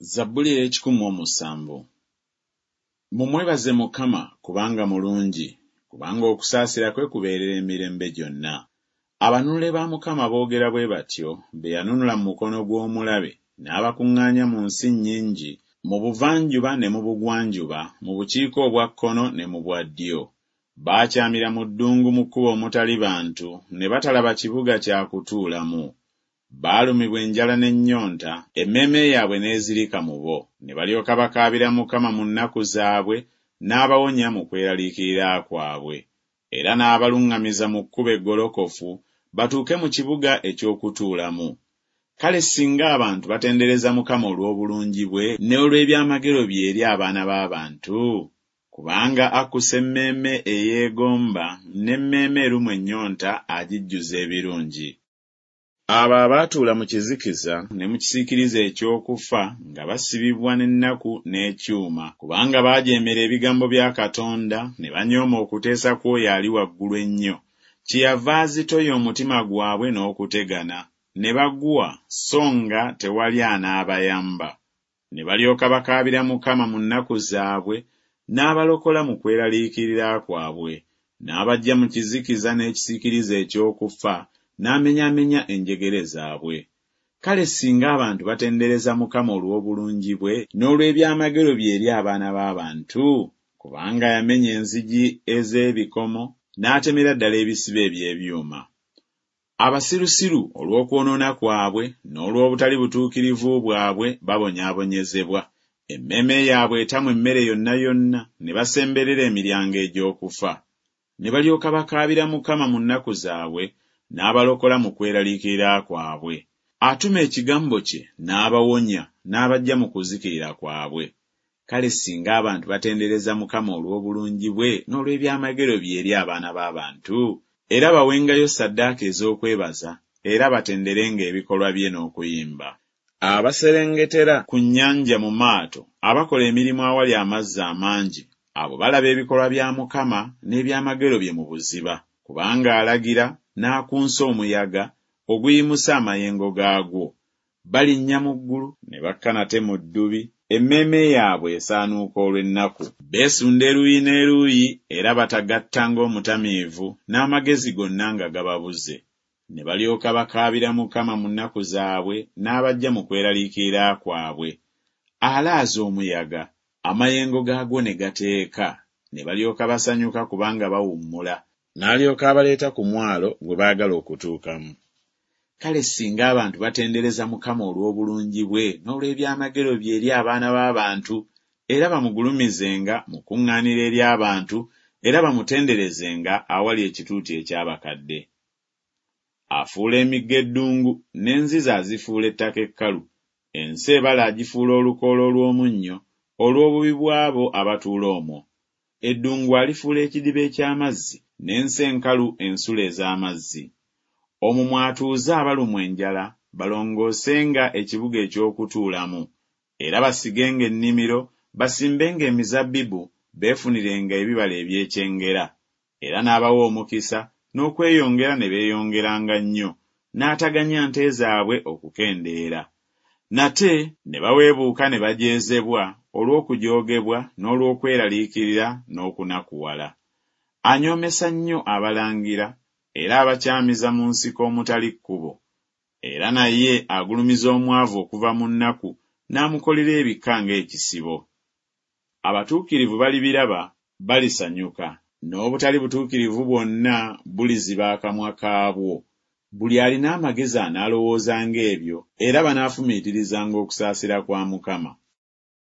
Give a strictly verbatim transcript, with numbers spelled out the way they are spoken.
Zabbuli ey'ekikumi mu omusanvu. Mumwebaze Mukama kubanga mulungi, kubanga okusaasira kwe kubeerera emirembe gyonna. Abanunule ba Mukama boogera bwe batyo, be yanunula mu mukono gw'omulabe, n'abakuŋŋaanya mu nsi nnyingi, mu buvanjuba ne mu bugwanjuba, mu bukiika obwa kkono ne mu bwa ddyo. Baakyamira mu ddungu mu kkubo omutali bantu, ne batalaba kibuga kya kutuulamu. Baalumibwa enjala n'ennyonta, emmeeme yaabwe n'ezirika mu bo. Ne balyoka bakaabira Mukama mu nnaku zaabwe, n'abawonya mu kweraliikirira kwabwe. Era n'abaluŋŋamiza mu kkubo eggolokofu, batuuke mu kibuga eky'okutuulamu. Kale singa abantu batendereza Mukama olw'obulungi bwe ne olw'ebyamagero bye eri abaana b'abantu! Kubanga akkusa emmeeme eyeegomba, n'emmeeme erumwa ennyonta agijjuza ebirungi. Abo abaatuula mu kizikiza ne mu kisiikirize eky'okufa, nga basibibwa n'ennaku n'ekyuma, kubanga baajeemera ebigambo bya Katonda, ne banyooma okuteesa kw'oyo Ali Waggulu Ennyo, kyeyava azitoya omutima gwabwe n'okutegana, ne bagwa so nga tewali anaabayamba. Ne balyoka bakaabira Mukama mu nnaku zaabwe, n'abalokola mu kweraliikirira kwabwe, n'abaggya mu kizikiza n'ekisiikirize eky'okufa, n'amenyaamenya enjegere zaabwe. Kale singa abantu batendereza Mukama olw'obulungi bwe n'olw'ebyamagero bye eri abaana b'abantu! Kubanga yamenya enzigi ez'ebikomo, n'atemera ddala ebisiba eby'ebyuma. Abasirusiru olw'okwonoona kwabwe n'olw'obutali butuukirivu bwabwe babonyaabonyezebwa. Emmeeme yaabwe etamwa emmere yonna yonna, ne basemberera emiryango egy'okufa. Ne balyoka bakaabira Mukama mu nnaku zaabwe, n'abalokola mu kweraliikirira kwabwe. Atuma ekigambo kye n'abawonya, n'abaggya mu kuzikirira kwabwe. Kale singa abantu batendereza Mukama olw'obulungi bwe n'olw'ebyamagero bye eri abaana b'abantu! Era bawengayo ssaddaaka ez'okwebaza, era batenderenga ebikolwa bye n'okuyimba. Abaserengetera ku nnyanja mu maato, abakola emirimu awali amazzi amangi, abo balaba ebikolwa bya Mukama n'ebyamagero bye mu buziba. Kubanga alagira n'akunsa omuyaga oguyimusa amayengo gaagwo. Balinnya mu ggulu ne bakka nate mu ddubi, emmeeme yaabwe esaanuuka olw'ennaku. Beesunda eruuyi n'eruuyi era batagatta ng'omutamiivu, n'amagezi gonna nga gababuze. Ne balyoka bakaabira Mukama mu nnaku zaabwe, n'abaggya mu kweraliikirira kwabwe. Alaaza omuyaga, amayengo gaagwo ne gateeka, ne balyoka basanyuka kubanga bawummula, n'alyoka abaleeta ku mwalo gwe baagala okutuukamu. Kale singa abantu batendereza Mukama olw'obulungi bwe n'olw'ebyamagero bye eri abaana b'abantu, era bamugulumizenga mu kuŋŋaaniro ery'abantu, era bamutenderezenga awali ekituuti eky'abakadde. Afuula emigga eddungu, n'enzizi azifuula ettaka ekkalu. Ensi ebala agifuula olukoola olw'omunnyo, olw'obubi bw'abo abatuula omwo. Eddungu alifuula ekidiba eky'amazzi, n'ensi enkalu ensulo ez'amazzi. Omwo mw'atuuza abalumwa enjala, balongoosenga ekibuga eky'okutuulamu. Era basigenga ennimiro, basimbenga emizabbibu, beefunirenga ebibala eby'ekyengera. Era n'abawa omukisa, n'okweyongera ne beeyongeranga nnyo, n'ataganya nte zaabwe okukendeera. Nate ne baweebuuka ne bajeezebwa olw'okujoogebwa n'olw'okweraliikirira n'okunakuwala. Anyoomesa nnyo abalangira, era abakyamiza mu nsiko omutali kkubo. Era naye agulumiza omwavu okuva mu nnaku, n'amukolera ebika ng'ekisibo. Abatuukirivu balibiraba, balisanyuka, n'obutali butuukirivu bwonna buliziba akamwa kaabwo. Buli alina amagezi anaalowoozanga ebyo, era banaafumiitirizanga okusaasira kwa Mukama.